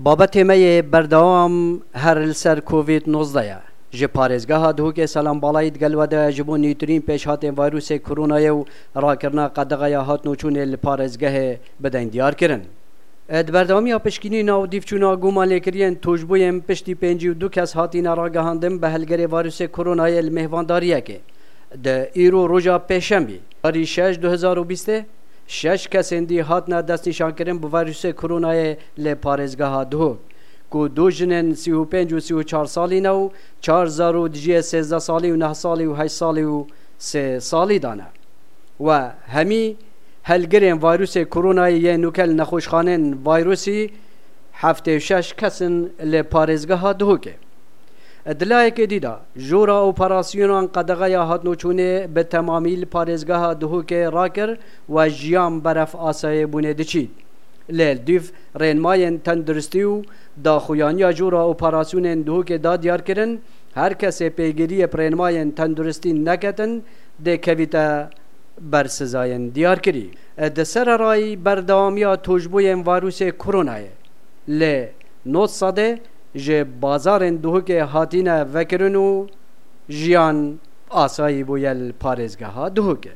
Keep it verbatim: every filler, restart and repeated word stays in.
بابەتێ مەیێ بەردەوام هەر لەسەر کۆڤید نۆزدەیە. Ji parêzgeha Duhokê Selam Balayî digel we de ji bo nûtirîn pêşhatên vîrusê koronayê û rakirina qedexeya hatinûçûnê li parêzgehê bidin diyarkirin. Di berdewamiya pişkînîna û dîvçûna gumanlêkiriyên tûşbûyên piştî pêncî û du kes hatîne ragihandin bi helgerê vîrusê koronayê li mêvandariyekê. Di îro roja pêşembî tarî şeş du hezar û bîstê şeş kesên dî hatine destnîşankirin bi vîrusê koronayê li parêzgeha Duhok ku du jinên sî û pênc û sî û çar salî ne û çar zar û dijiyê sêzdeh salî û neh salî û heşt salî û sê salî dane. We hemî helgirên vîrusê koronayê yên nûke li nexweşxanên vîrusî heftê û şeş kes in li parêzgeha Duhokê. Di layekê dî de jora operasyonan qedexeya hatinûçûnê bi temamî li parêzgeha Duhokê rakir we jiyan beref asayê bûnê diçît. Lê dîv rênmayên tenduristî û daxuyaniya jora operasyonên Duhokê da diyarkirin her kesê pêgiriyê bi rênmayên tenduristî neketin dê kevîte ber sizayên diyarkirî. Di sererayî berdewamiya tûşbûyên vîrusê koronayê lê nod sedê ji bazarên Duhokê hatîne vekirin û jiyan asayî bûye li parêzgeha Duhokê.